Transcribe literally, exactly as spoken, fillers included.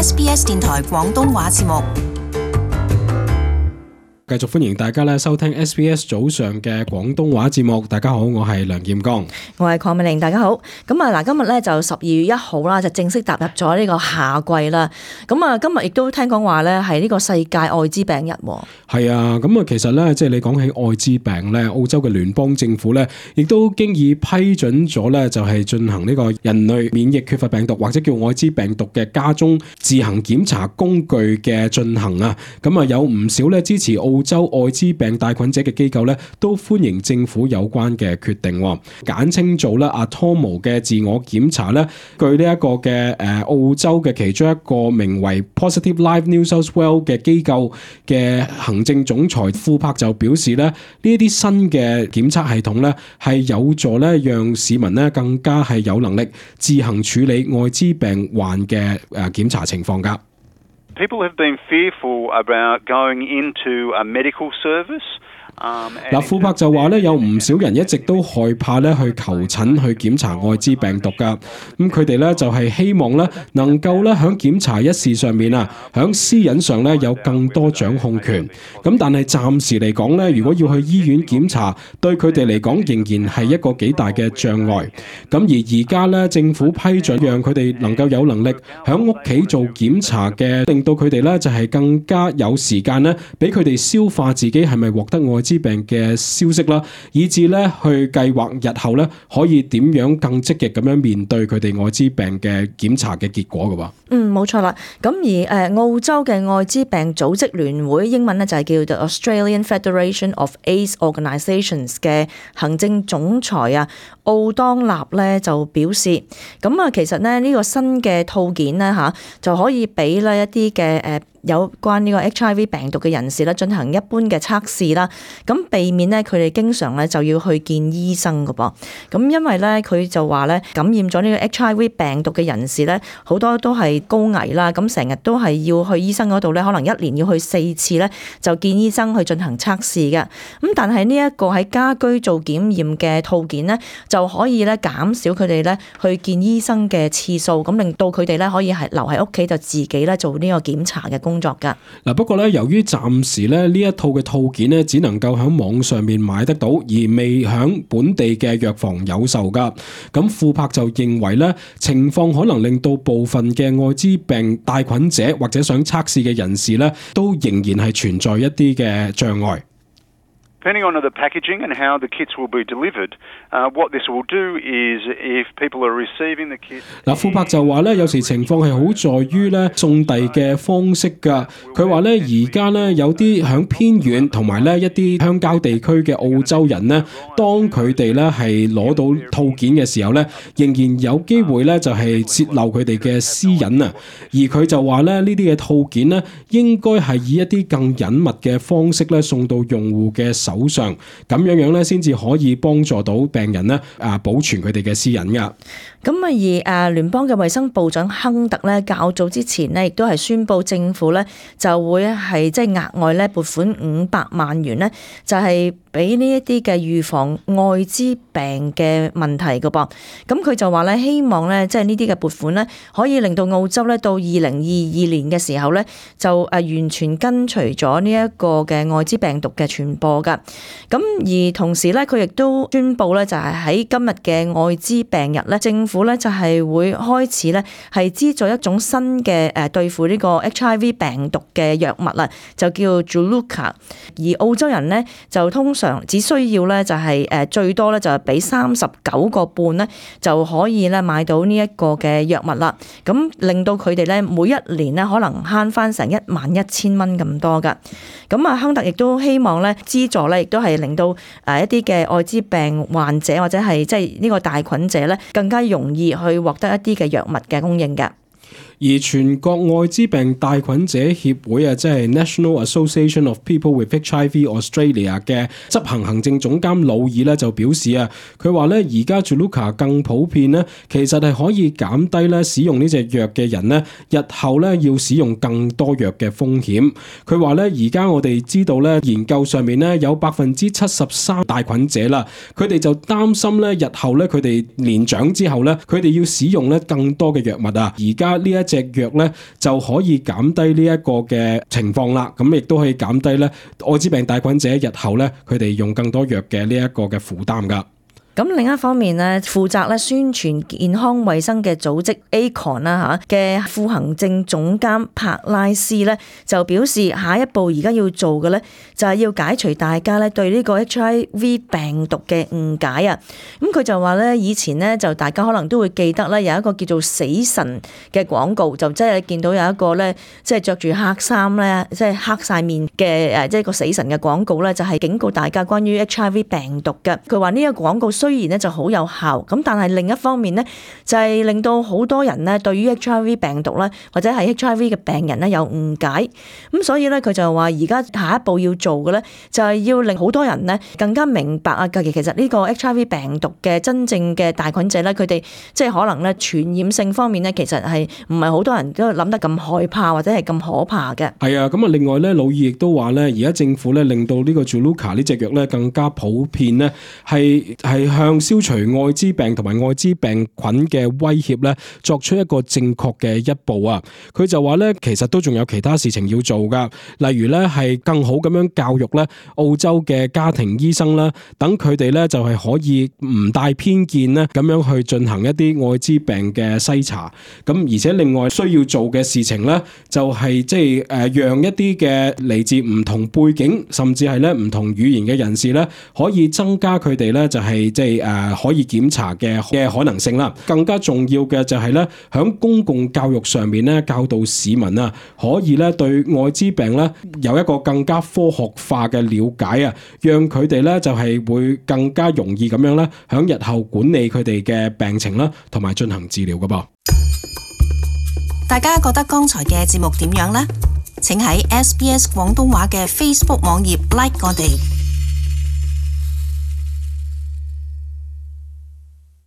S B S 電台廣東話節目。繼續歡迎大家咧收聽 S B S 早上嘅廣東話節目。大家好，我係梁劍剛，我係鄺美玲。大家好。咁啊嗱，今日咧就十二月一號啦，就正式踏入咗呢個夏季啦。咁啊，今日亦都聽講話咧係呢個世界愛滋病日。係啊，咁啊，其實咧即係你講起愛滋病咧，澳洲嘅聯邦政府咧亦都經已批准咗咧，就係進行呢個人類免疫缺乏病毒或者叫愛滋病毒嘅家中自行檢查工具嘅進行啊。咁啊，有唔少咧支持澳澳洲愛滋病帶菌者嘅機構咧，都歡迎政府有關嘅決定，簡稱做咧 Atomo 嘅自我檢查咧。據呢一個嘅誒澳洲嘅其中一個名為 Positive Life New South Wales 嘅機構嘅行政總裁庫柏就表示咧，呢一啲新嘅檢測系統咧係有助咧讓市民咧更加係有能力自行處理愛滋病患嘅誒檢查情況㗎。People have been fearful about going into a medical service. 嗱，庫柏就話咧，有唔少人一直都害怕咧去求診去檢查愛滋病毒噶。咁佢哋咧就係希望咧能夠咧喺檢查一事上面啊，喺私隱上咧有更多掌控權。咁但係暫時嚟講咧，如果要去醫院檢查，對佢哋嚟講仍然係一個幾大嘅障礙。咁而而家咧政府批准讓佢哋能夠有能力喺屋企做檢查嘅，令到佢哋咧就係更加有時間咧，俾佢哋消化自己係咪獲得愛滋病嘅消息啦，以至咧去計劃日後咧可以點樣更積極咁樣面對佢哋愛滋病嘅檢查嘅結果嘅喎。嗯，冇錯啦。咁而誒澳洲嘅愛滋病組織聯會，英文咧就係叫做 Australian Federation of AIDS Organisations 嘅行政總裁啊，奧當納咧就表示，咁啊其實咧呢個新嘅套件咧嚇就可以俾咧一啲嘅誒有關呢個 H I V 病毒嘅人士咧進行一般嘅測試啦，咁避免咧佢哋經常咧就要去見醫生㗎噃。咁因為咧佢就話咧感染咗呢個 H I V 病毒嘅人士咧好多都係高危啦，咁成日都係要去醫生嗰度咧，可能一年要去四次咧就見醫生去進行測試嘅。咁但係呢一個喺家居做檢驗嘅套件咧就可以咧減少佢哋咧去見醫生嘅次數，咁令到佢哋咧可以係留喺屋企就自己咧做呢個檢查嘅工作㗎。嗱，不過咧，由於暫時咧呢一套嘅套件咧，只能夠喺網上面買得到，而未喺本地嘅藥房有售㗎。咁庫柏就認為咧，情況可能令到部分嘅愛滋病帶菌者或者想測試嘅人士咧，都仍然係存在一啲嘅障礙。Depending on the packaging and how the kits will be delivered, uh, what this will do is if people are receiving the kits... 嗱，庫柏就話咧，有時情況係好在於咧送遞嘅方式㗎。佢話咧，而家咧有啲響偏遠同埋咧一啲鄉郊地區嘅澳洲人咧，當佢哋咧係攞到套件嘅時候咧，仍然有機會咧就係泄漏佢哋嘅私隱啊。而佢就話咧，呢啲嘅套件咧應該係以一啲更隱密嘅方式咧送到用戶嘅手上，咁樣樣咧，先至可以幫助到病人咧啊，保存佢哋嘅私隱噶。咁啊，而誒聯邦嘅衛生部長亨特咧，較早之前咧，亦都係宣布政府咧就會係即係額外咧撥款五百萬元咧，就係俾呢一啲嘅預防愛滋病嘅問題㗎噃。咁佢就話咧，希望咧即係呢啲嘅撥款咧，可以令到澳洲咧到二零二二年嘅時候咧，就誒完全根除咗呢一個嘅愛滋病毒嘅傳播㗎。咁而同時咧，佢亦都宣布咧，就係喺今日嘅愛滋病日咧，政府咧就係會開始咧係資助一種新嘅誒對付呢個 H I V 病毒嘅藥物啦，就叫 Juluca。而澳洲人咧就通常只需要咧就係誒最多咧就係俾三十九個半咧就可以咧買到呢一個嘅藥物啦。咁令到佢哋咧每一年咧可能慳翻成一萬一千蚊咁多噶。咁啊，亨特亦都希望咧資助咧亦都係令到誒一啲嘅愛滋病患者或者係即係呢個帶菌者咧更加容易去獲得一啲嘅藥物嘅供應嘅。而全國愛滋病帶菌者協會啊，即係 National Association of People with H I V Australia 嘅執行行政總監魯爾咧就表示啊，佢話咧而家 Juluca 更普遍咧，其實係可以減低咧使用呢隻藥嘅人咧，日後咧要使用更多藥嘅風險。佢話咧而家我哋知道咧研究上面咧有百分之七十三帶菌者啦，佢哋就擔心咧日後咧佢哋年長之後咧，佢哋要使用咧更多嘅藥物啊。而家呢一隻藥咧就可以減低呢一個嘅情況啦。咁亦都可以減低咧愛滋病帶菌者日後咧佢哋用更多藥嘅呢一個嘅負擔㗎。咁另一方面咧，負責咧宣傳健康衛生嘅組織 A C O N 啦嚇嘅副行政總監柏拉斯咧就表示，下一步而家要做嘅咧就係要解除大家咧對呢個 H I V 病毒嘅誤解啊。咁佢就話咧，以前咧就大家可能都會記得咧有一個叫做死神嘅廣告，就即係見到有一個咧即係着住黑衫咧，即係黑晒面嘅誒，即係個死神嘅廣告咧，就係警告大家關於 H I V 病毒嘅。佢話呢個廣告雖然咧就好有效，咁但係另一方面咧就係令到好多人咧對於 H I V 病毒咧或者係 H I V 嘅病人咧有誤解，咁所以咧佢就話而家下一步要做嘅咧就係要令好多人咧更加明白啊，其實呢個 H I V 病毒嘅真正嘅帶菌者咧，佢哋即係可能咧傳染性方面咧，其實係唔係好多人都諗得咁害怕或者係咁可怕嘅。係啊，咁啊另外咧，魯爾亦都話咧，而家政府咧令到呢個 Juluca 呢隻藥咧更加普遍咧，係係向消除愛滋病同埋愛滋病菌嘅威脅咧，作出一個正確嘅一步啊！佢就話咧，其實都仲有其他事情要做噶，例如咧係更好咁樣教育咧澳洲嘅家庭醫生啦，等佢哋咧就係可以唔帶偏見咧咁樣去進行一啲愛滋病嘅篩查。咁而且另外需要做嘅事情咧，就係即係誒讓一啲嘅嚟自唔同背景，甚至係咧唔同語言嘅人士咧，可以增加佢哋咧就係即係誒可以檢查嘅嘅可能性啦。更加重要嘅就係咧，響公共教育上面咧，教導市民啊，可以咧對愛滋病咧有一個更加科學化嘅了解啊，讓佢哋咧就係會更加容易咁樣咧，響日後管理佢哋嘅病情啦，同埋進行治療噶噃。大家覺得剛才嘅節目點樣呢？請喺 S B S 廣東話嘅 Facebook 網頁 like 我哋。